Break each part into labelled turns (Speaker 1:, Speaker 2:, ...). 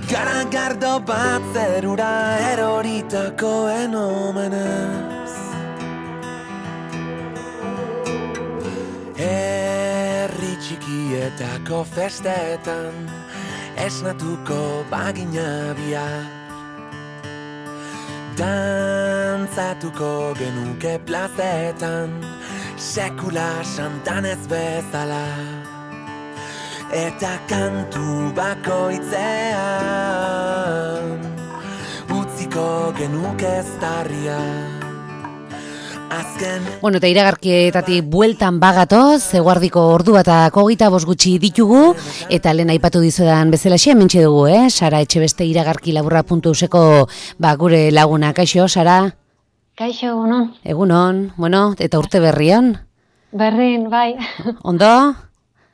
Speaker 1: Garagardo bat zerura eroritakoen omenez. Herri txikietako festetan esnatuko bagina bihar. Dantzatuko genuke plazetan sekula santan ez bezala. Eta kantu bakoitzean utziko genuke eztarria.
Speaker 2: Bueno, eta iragarkietatik bueltan bagatoz, eguardiko ordu eta 25 gutxi ditugu, eta lehen aipatu dizuedan bezalaxe, hementxe dugu, Sara Etxebeste iragarkilaburra.euseko gure laguna. Kaixo, Sara?
Speaker 3: Kaixo, egunon.
Speaker 2: Egunon, bueno, eta urte berrion?
Speaker 3: Berrin, bai.
Speaker 2: Ondo?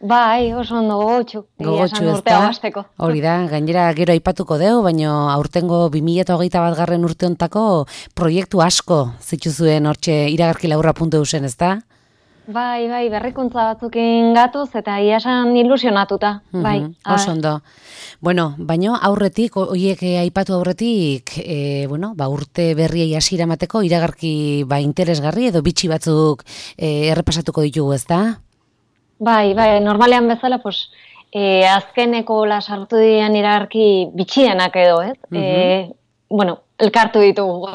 Speaker 3: Bai, oso ondo gogotxu.
Speaker 2: Gogotxu ez da? Hori da, gainera gero aipatuko deu, baina aurtengo 2021 urte hontako proiektu asko zituzuen hortxe iragarkilaburra.eusen, ez da?
Speaker 3: Bai, berrikuntza batzukin gatoz eta iasan ilusionatuta, bai.
Speaker 2: Oso ondo. Bueno, baina aurretik, oiek aipatu aurretik, urte berriei hasiera emateko iragarki interesgarri edo bitxi batzuk errepasatuko ditugu, ez da?
Speaker 3: Bai, normalean bezala, azkeneko sartu dian iragarki bitxienak edo, ez? Elkartu ditugu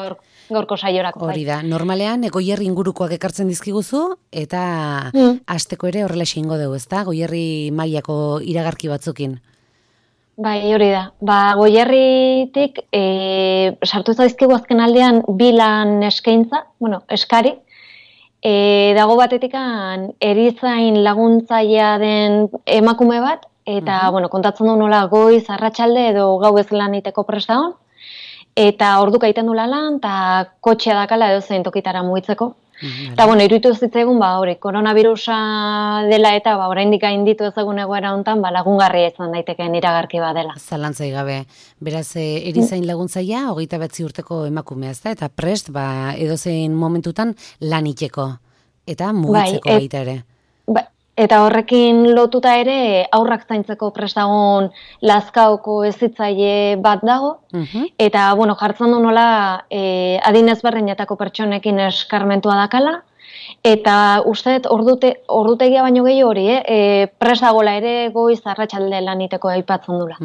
Speaker 3: gaurko saiorako.
Speaker 2: Hori da, normalean Goierri ingurukoak ekartzen dizkiguzu, eta hasteko ere horrela ingo dugu, ez da? Goierri mailako iragarki batzukin.
Speaker 3: Bai, hori da. Goierritik sartu zaizkigu azken aldean bilan eskaintza, eskari, dago batetikan erizain laguntzailea den emakume bat, eta kontatzen du nola goiz, arratsalde edo gauez lan iteko prest dagoen, eta orduka egiten du lan, eta kotxea dakala edo zein tokitara mugitzeko. Eta iruditu zitzaigun, koronavirusa dela eta oraindik gainditu ezagun egoera hontan, lagungarria izan daitekeen iragarki bat dela.
Speaker 2: Zalantzai gabe. Beraz, erizain laguntzailea 29 urteko emakumea, ez da? Eta prest, edozein momentutan lan iteko. Eta mugitzeko baita ere.
Speaker 3: Eta horrekin lotuta ere aurrak zaintzeko prest dagoen Lazkaoko hezitzaile bat dago. Eta, jartzen du nola adin ezberdinetako pertsonekin eskarmentua dakala. Eta uste ordutegia baino gehiago hori, prest dagoela ere goiz arratsalde lan iteko aipatzen dula.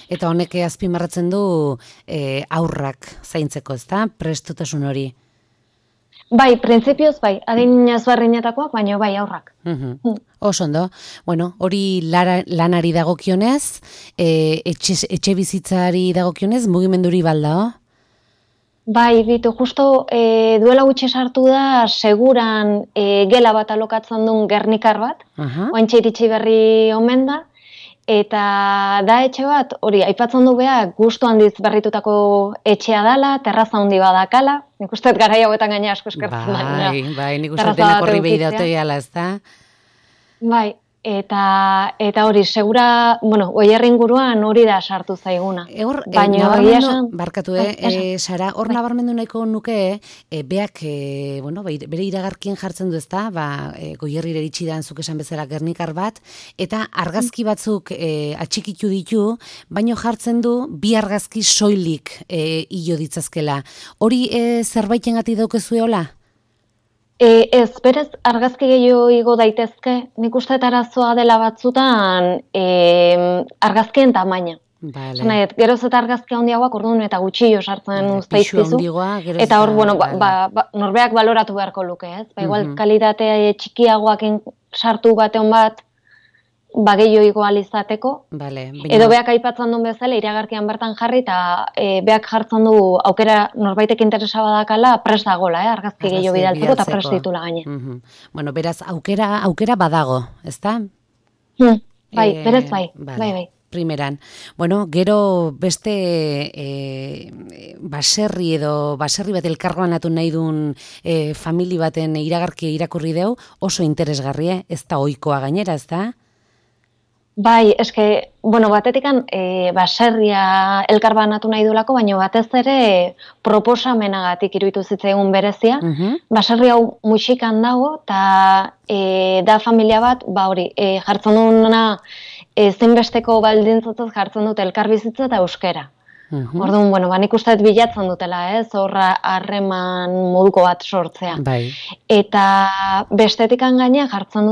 Speaker 2: Eta honek azpimarratzen du aurrak zaintzeko, ez da? Prestutasun hori.
Speaker 3: Bai, printzipioz bai, adin ezberdinetakoak, baino bai aurrak.
Speaker 2: Oso ondo. Bueno, hori lanari dagokionez, etxe bizitzari dagokionez, mugimenduri baldao?
Speaker 3: Bai, bitu, justo duela gutxi sartu da, seguran gela bat alokatzen duen Gernikar bat, oantxe iritsi berri omen da, eta da etxe bat, hori, aipatzen du beha, gustu handiz berritutako etxea dela, terraza handi badakala, nik usteet garai hauetan gaina asko eskertzen da.
Speaker 2: Bai, nik usteet denak horri behi daute gala, ez da?
Speaker 3: Bai, eta hori, segura, Goierri inguruan hori da sartu zaiguna.
Speaker 2: Barkatu, Sara, hor nabarmendu nahiko nuke, beak, bere iragarkien jartzen du, ez da, Goierrira iritsi da zuk esan bezala Gernikar bat, eta argazki batzuk atxikitu ditu, baino jartzen du bi argazki soilik hilo ditzazkela. Hori zerbaiten gati daukezueola?
Speaker 3: Ez, berez, argazki gehiago igo daitezke, nik uste arazoa dela batzutan argazkien tamaina. Geroz eta argazki handiagoak orduan eta gutxillo sartzen usteizkizu. Eta hor, norbeak baloratu beharko luke, ez? Igual, kalitatea txikiagoak sartu batean bat, gehiago igual izateko. Edo beak aipatzen duen bezala, iragarkian bertan jarri, eta beak jartzen du aukera norbaitek interesa badakala, prest dagoela, argazki gehiago bidaltzeko, eta prest ditula gaine.
Speaker 2: Beraz, aukera badago, ez da?
Speaker 3: Bai, berez bai.
Speaker 2: Primeran. Gero beste baserri bat elkarbanatu nahi duen famili baten iragarkia irakurri deu, oso interesgarria, ez da ohikoa gainera, ez da?
Speaker 3: Bai, eske, batetikan baserria elkarbanatu nahi duelako, baina batez ere proposamenagatik iruditu zitzaigun berezia. Baserri hau muxikan dago, eta da familia bat, jartzen duena ezinbesteko baldintzatzat jartzen dute elkarbizitza eta euskera. Orduan, nik uste bilatzen dutela, horra harreman moduko bat sortzea.
Speaker 2: Bai.
Speaker 3: Eta bestetikan gaina jartzen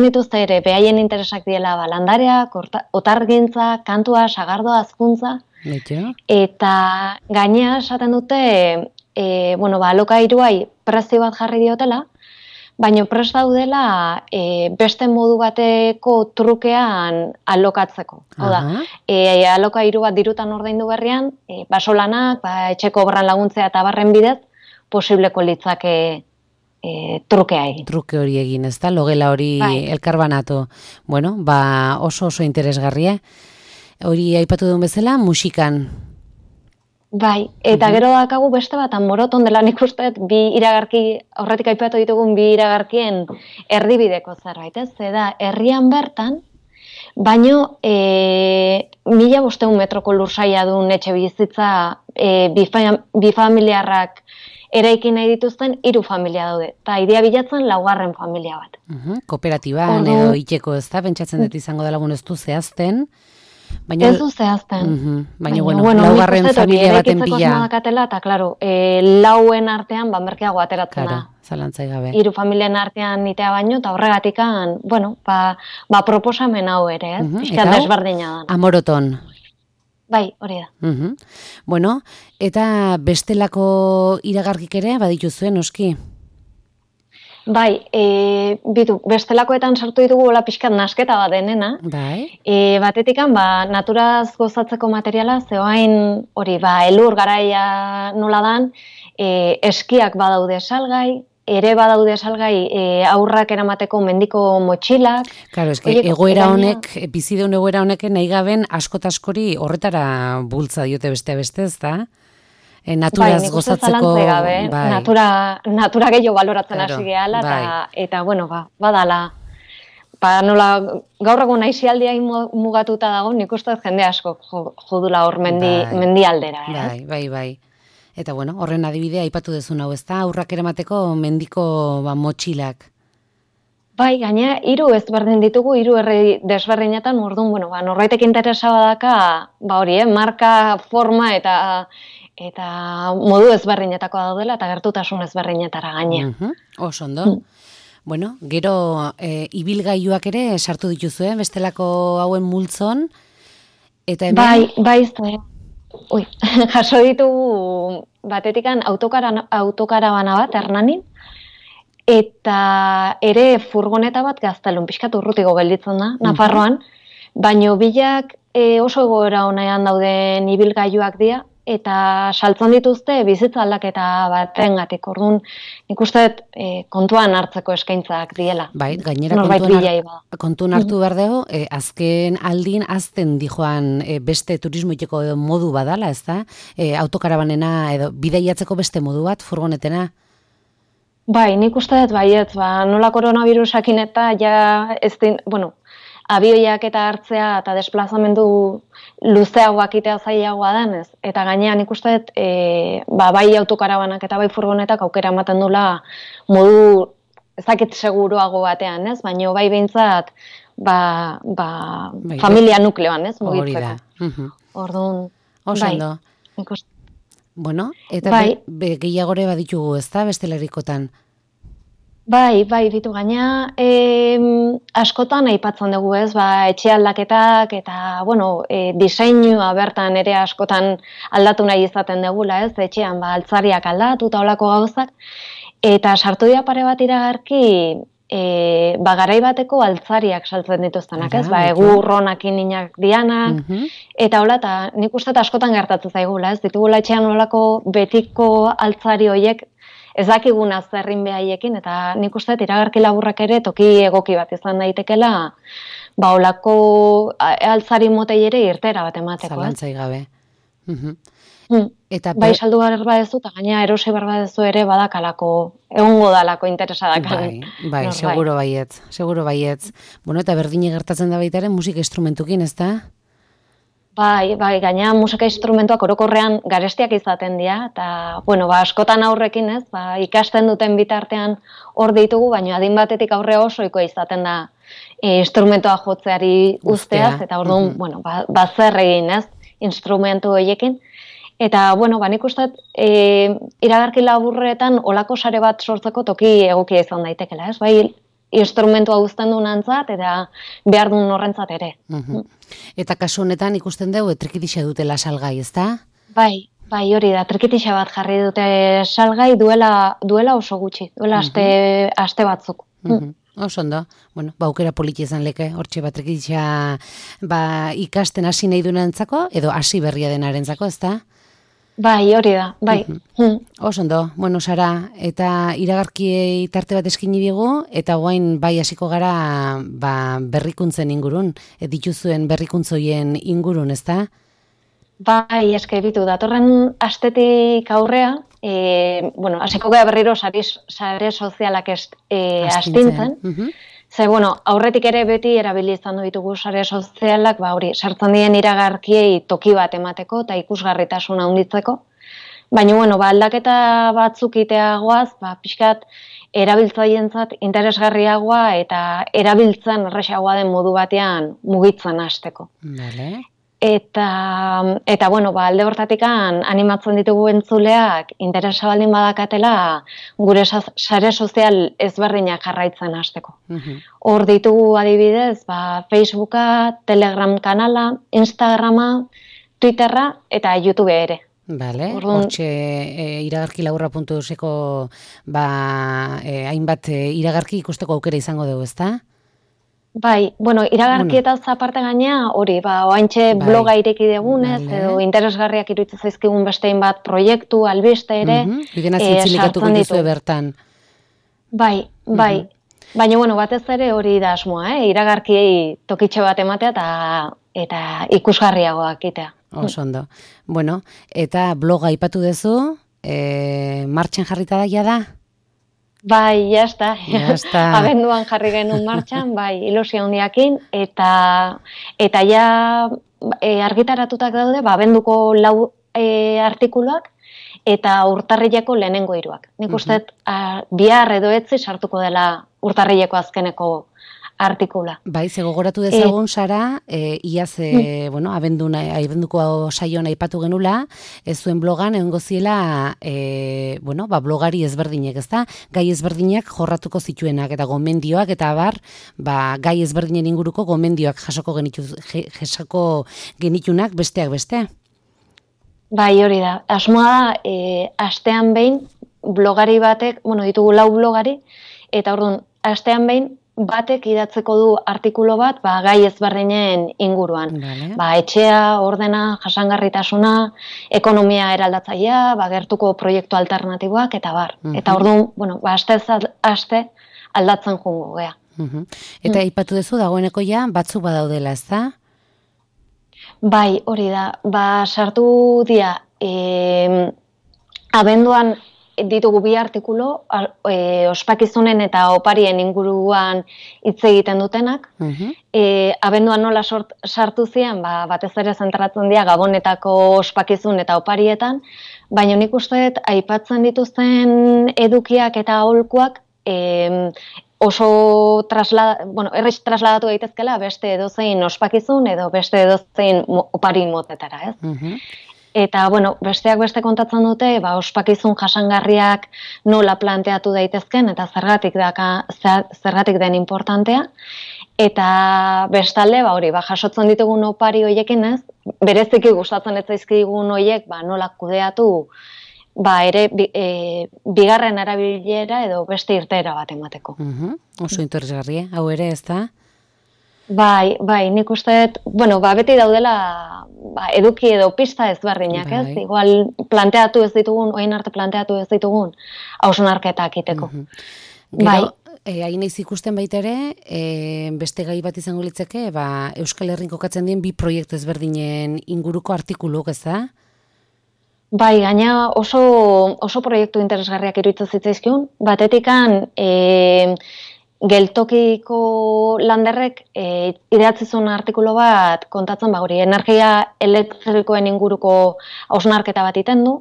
Speaker 3: dituzte ere, behaien interesak diela landareak, otargintza, kantua, sagardoa, azkuntza. Eta gaina esaten dute, alokairuai prezio bat jarri diotela, baina prest daudela beste modu bateko trukean alokatzeko. Oda, alokairu bat dirutan ordaindu berrian, basolanak, etxeko obran laguntzea eta barren bidez, posibleko litzake trukea egin.
Speaker 2: Truke hori egin, ez da? Logela hori elkarbanatu. Bueno, oso interesgarria. Hori aipatu duen bezala, musikan.
Speaker 3: Bai, eta gero dakagu beste bat, Moroton dela nik usteet bi iragarki, aurretik aipatu ditugun bi iragarkien erdibideko zerbait, ez? Zeda, herrian bertan, baino 1500 metroko lursaila duen etxe bizitza bifamiliarrak eraikin nahi dituzten 3 familia daude, eta idea bilatzen 4. familia bat.
Speaker 2: Kooperatiban edo iteko, ez da? Pentsatzen dut izango dela ez du zehazten.
Speaker 3: Ez du zehazten.
Speaker 2: Baina, 4. familia baten bila.
Speaker 3: Eta, klaro, 4 artean, merkeago ateratzen da.
Speaker 2: Zalantzai gabe.
Speaker 3: 3 familien artean nitea baino, eta horregatikan, proposamen hau ere, ez? Piskat desberdina da.
Speaker 2: Moroton.
Speaker 3: Bai, hori da.
Speaker 2: Bueno, eta bestelako iragarkik ere, badituzuen, noski?
Speaker 3: Bai, bestelakoetan sartu ditugu pixkat nasketa bat denena.
Speaker 2: Bai.
Speaker 3: Batetikan, naturaz gozatzeko materiala, zeoain hori, elur garaia nola dan, eskiak badaude salgai, ere badaude salgai aurrak eramateko mendiko motxilak.
Speaker 2: Claro, eske egoera honek, bizideun egoera honek nahi gaben askotaskori horretara bultza diote beste, ez da? Naturaz gozatzeko...
Speaker 3: Natura gehiago baloratzen hasi gehala, eta, badala. Nola, gaur egun aizialdia mugatuta dago, nik uste jende asko jodula hor mendi aldera.
Speaker 2: Bai. Eta, horren adibidea aipatu dezun hau, ez da? Aurrak eramateko mendiko motxilak.
Speaker 3: Bai, gaina, 3 ezberdin ditugu, 3 herri desberdinetan, orduan, norbaitek interesa badaka, hori, marka, forma eta modu ezberdinetako daudela, eta gertutasun ezberdinetara gaina.
Speaker 2: Oso ondo. Bueno, gero ibilgailuak ere sartu dituzue, bestelako hauen multzon, eta hemen...
Speaker 3: Bai, jaso ditugu batetikan autokarabana bat, Hernanin, eta ere furgoneta bat Gaztelun, pixkat urrutiko gelditzen da, Nafarroan, baino bilak oso egoera honean dauden ibilgailuak dira, eta saltzen dituzte bizitza aldaketa batengatik. Orduan, nik uste kontuan hartzeko eskaintzak diela.
Speaker 2: Bai, gainera kontuan hartu behar dugu, azken aldin azten dijoan beste turismoiteko modu badala, ez da? Autokarabanena edo bidaiatzeko beste modu bat, furgonetena?
Speaker 3: Bai, nik uste dut baietz, nola koronavirusakin eta abioiak eta hartzea eta desplazamendu luzeagoak itea zailagoa denez. Eta gainean ikusten bai autokarabanak eta bai furgonetak aukera ematen dula modu ezakit seguruago batean, ez? Baina bai behintzat familia nukleoan, ez? Mugitzeko. Orduan,
Speaker 2: bai. Bueno, eta gehiagore baditugu, ez da, bestelerikotan?
Speaker 3: Bai, ditu gaina, askotan aipatzen dugu, ez, etxe aldaketak eta, diseinua bertan ere askotan aldatu nahi izaten dugula, ez, etxean, altzariak aldatu eta olako gauzak, eta sartu dira pare bat iragarki, garai bateko altzariak saltzen dituztenak, ez, egurronak ininak dianak, eta hola, eta nik uste askotan gertatzen zaigula, ez, ditugula etxean olako betiko altzari horiek, ez dakiguna zerrin behaiekin, eta nik uste iragarki laburrak ere toki egoki bat izan daitekela, olako altzari motei ere irtera bat emateko.
Speaker 2: Zalantzai gabe.
Speaker 3: Bai saldu behar badezu, eta gaina erosi behar badezu ere badakalako, egongo dalako interesadak.
Speaker 2: Bai, seguro baietz. Bueno, eta berdine gertatzen da baitaren musika instrumentukin, ez da?
Speaker 3: Bai, gaina musika instrumentuak orokorrean garestiak izaten dira, eta, bueno, askotan aurrekin ez, ikasten duten bitartean hor ditugu, baina adin batetik aurre osoikoa izaten da instrumentua jotzeari usteaz, eta orduan, bueno, zer egin ez, instrumentu horiekin. Eta, bueno, nik uste, iragarki laburretan olako sare bat sortzeko toki egokia izan daitekela, ez? Bai, instrumentua guztien duen antzat, eta behar duen horrentzat ere.
Speaker 2: Eta kasu honetan ikusten dugu, trikitixa dutela salgai, ez da?
Speaker 3: Bai, hori da, trikitixa bat jarri dute salgai duela oso gutxi, duela aste batzuk.
Speaker 2: Oso ondo, bueno, aukera politi izan leke, hortxe bat trikitixa ikasten hasi nahi duenentzako, edo hasi berria denarentzako, ez da?
Speaker 3: Bai, hori da, bai.
Speaker 2: Oso ondo, bueno, Sara, eta iragarkiei tarte bat eskini digu, eta guain bai hasiko gara berrikuntzen ingurun, dituzuen berrikuntzoien ingurun, ez da?
Speaker 3: Bai, eske bitu, datorren astetik aurrea, bueno, hasiko gara berriro sare sozialak astintzen. Ze, bueno, aurretik ere beti erabili izan ditugu sare sozialak, hori, sartzen dien iragarkiei toki bat emateko eta ikusgarritasuna handitzeko. Baina, bueno, aldaketa batzuk iteagoaz, pixkat erabiltzaientzat interesgarriagoa eta erabiltzen erresagoa den modu batean mugitzen hasteko.
Speaker 2: Vale.
Speaker 3: Eta bueno, alde hortatikan animatzen ditugu entzuleak interesa baldin badakatela gure sare sozial ezberdinak jarraitzen hasteko. Hor ditugu adibidez, Facebooka, Telegram kanala, Instagrama, Twitterra eta YouTube ere.
Speaker 2: Bale, hortxe iragarkilaburra.euseko hainbat iragarki ikusteko aukera izango dugu, ezta?
Speaker 3: Bai, bueno, iragarkietaz aparte gaina, hori, oaintxe bloga ireki degunez, edo interesgarriak iruditzen zaizkigun bestein bat proiektu, albiste ere,
Speaker 2: sartzen ditu bertan.
Speaker 3: Bai. Baina, bueno, batez ere hori da asmoa, iragarkiei tokitxe bat ematea eta ikusgarriagoak itea.
Speaker 2: Oso ondo. Bueno, eta bloga aipatu duzu, martxan jarrita da?
Speaker 3: Bai, jazta. Abenduan jarri genuen martxan, ilusia handiakin, eta ja argitaratutak daude, abenduko 4 artikuluak, eta urtarrileko lehenengo 3. Nik uste, bihar edo etzi sartuko dela urtarrileko azkeneko artikula.
Speaker 2: Bai, gogoratu dezagun, Sara, iaz, bueno, abenduko saioan aipatu genula, ez zuen blogan egongo ziela, bueno, blogari ezberdinek, ezta? Gai ezberdinak jorratuko zituenak eta gomendioak eta gai ezberdinen inguruko gomendioak jasoko genitunak besteak beste.
Speaker 3: Bai, hori da. Asmoa da, astean behin blogari batek, bueno, ditugu 4 blogari, eta orduan, astean behin batek idatzeko du artikulu bat, gai ezberdinen inguruan. Etxea, ordena, jasangarritasuna, ekonomia eraldatzailea, gertuko proiektu alternatiboak, eta bar. Eta orduan, bueno, aste aldatzen jungo, gea.
Speaker 2: Eta aipatu duzu dagoeneko ja, batzuk badaudela, ez da?
Speaker 3: Bai, hori da. Sartu dia, abenduan ditugu 2 artikulu, ospakizunen eta oparien inguruan hitz egiten dutenak. Abenduan nola sartu ziren, batez ere zentratzen dira Gabonetako ospakizun eta oparietan, baina nik uste aipatzen dituzten edukiak eta aholkuak oso errez trasladatu daitezkela beste edozein ospakizun edo beste edozein opari motetara, ez? Eta, bueno, besteak beste kontatzen dute, ospakizun jasangarriak nola planteatu daitezken, eta zergatik den importantea. Eta bestalde, hori, jasotzen ditugun opari hoiekin ez, bereziki gustatzen ez zaizkigun hoiek, nola kudeatu, ere, bigarren erabilera edo beste irteera bat emateko.
Speaker 2: Oso interesgarria, hau ere, ez da?
Speaker 3: Bai, nik uste, bueno, beti daudela eduki edo pista ezberdinak, ez? Igual planteatu ez ditugun, oin arte planteatu ez ditugun, hausnarketak iteko.
Speaker 2: Gero, hain naiz ikusten baita ere, beste gai bat izango litzeke, Euskal Herrin kokatzen dien 2 proiektu ezberdinen inguruko artikuluk, ez da?
Speaker 3: Bai, gaina oso proiektu interesgarriak iruditzen zitzaizkion, batetikan geltokiko landerrek idatzi zuen artikulu bat kontatzen hori energia elektrikoen inguruko hausnarketa bat iten du,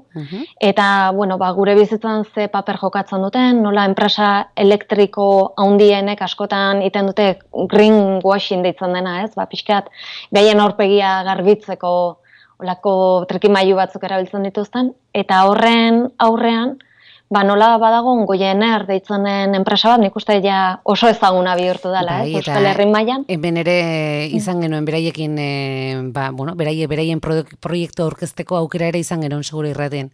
Speaker 3: eta gure bizitzan ze paper jokatzen duten, nola enpresa elektriko handienek askotan iten dute greenwashing deitzen dena, ez? Pixkat, behaien aurpegia garbitzeko olako trikimailu batzuk erabiltzen dituzten, eta horren aurrean, nola badago Goiener deitzen den enpresa bat, nik uste ja oso ezaguna bihurtu dela, Euskal Herri mailan.
Speaker 2: Hemen ere izan genuen beraiekin, beraien proiektu aurkezteko aukera ere izan genuen seguro irraten.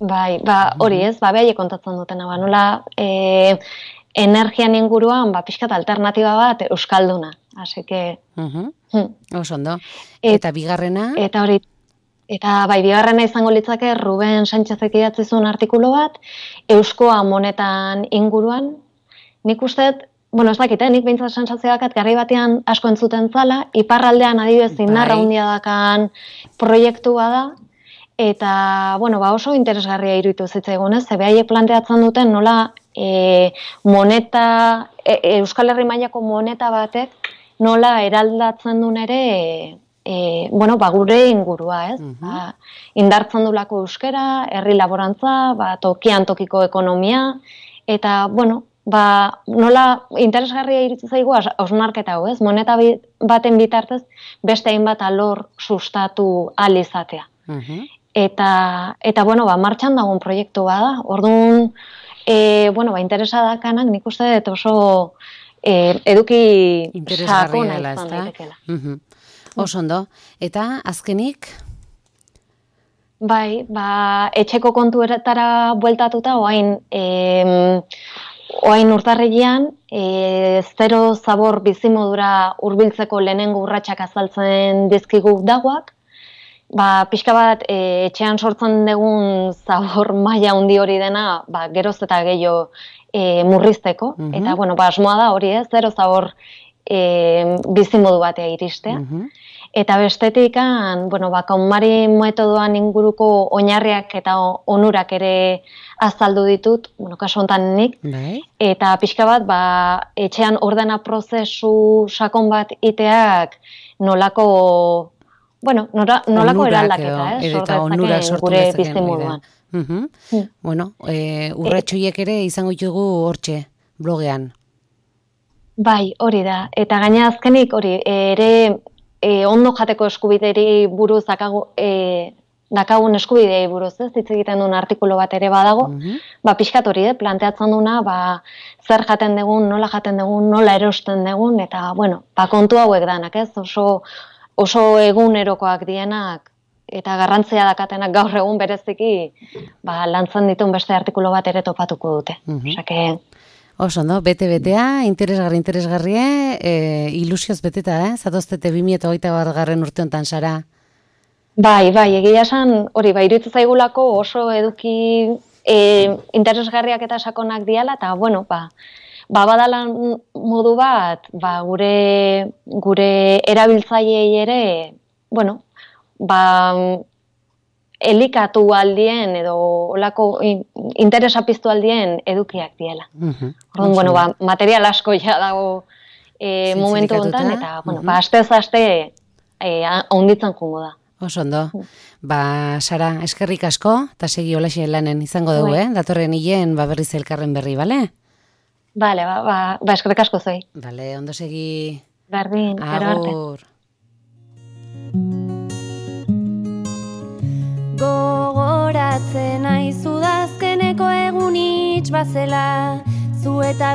Speaker 3: Hori ez, behaiek kontatzen dutena, nola energian inguruan, pixkat alternatiba bat euskalduna, así que...
Speaker 2: Oso ondo. Eta bigarrena?
Speaker 3: Eta bigarrena izango litzake Ruben Sánchezek idatzi zuen artikulu bat, euskoa monetan inguruan. Nik uste, ez dakit, nik behintzat sentsazioakat garri batean asko entzuten zala, iparraldean adibidez indarra handia dakan proiektua da, eta oso interesgarria iruditu zitzaigun, ze behaiek planteatzen duten nola moneta, Euskal Herri mailako moneta batek nola eraldatzen duen ere gure ingurua, ez? Indartzen dulako euskera, herri laborantza, tokian tokiko ekonomia, eta, nola interesgarria iritsi zaigu hausnarketa hau, ez? Moneta baten bitartez beste hainbat alor sustatu ahal izatea. Eta martxan dagoen proiektu bada. Orduan, interesa dakanak nik uste dut oso eduki sakona izan daitekela.
Speaker 2: Oso ondo. Eta azkenik?
Speaker 3: Etxeko kontuetara bueltatuta, oain urtarrilean, zero zabor bizimodura hurbiltzeko lehenengo urratsak azaltzen dizkigu dagoak, pixka bat etxean sortzen dugun zabor maila handi hori dena, geroz eta gehiago murrizteko, eta asmoa da hori ez, zero zabor bizimodu batea iristea. Eta bestetik, KonMari metodoan inguruko oinarriak eta onurak ere azaldu ditut, kasu honetan nik, eta pixka bat, etxean ordena prozesu sakon bat iteak nolako eraldaketa,
Speaker 2: eta onura sortu
Speaker 3: gure bizimoduan.
Speaker 2: Urratxoiek ere izango ditugu hortxe, blogean.
Speaker 3: Hori da. Eta gaina azkenik, ere ondo jateko eskubideri buruz dakagun eskubidei buruz, ez? Hitz egiten duen artikulu bat ere badago. Pixkat hori, planteatzen duna, zer jaten dugun, nola erosten dugun, eta, kontu hauek danak, ez? Oso egunerokoak dienak, eta garrantzia dakatenak gaur egun bereziki, lantzen ditun beste artikulu bat ere topatuko dute.
Speaker 2: Oso ondo, bete-betea, interesgarria, ilusioz beteta, zatoztete 2021 urte honetan, Sara?
Speaker 3: Egia esan, iruditzen zaigulako oso eduki interesgarriak eta sakonak diala, eta, badala modu bat, gure erabiltzaileei ere, elikatu aldien edo olako interesa piztu aldien edukiak diela. Orduan, material asko ja dago momentu honetan, eta, astez-aste handitzen jungo da.
Speaker 2: Oso ondo. Sara, eskerrik asko, eta segi holaxe lanen izango dugu, datorren hilen berriz elkarren berri, bale?
Speaker 3: Bale, eskerrik asko zoi.
Speaker 2: Bale, ondo segi.
Speaker 3: Berdin,
Speaker 2: agur.
Speaker 4: Gogoratzen aizu dazkeneko egun itx bazela, zu eta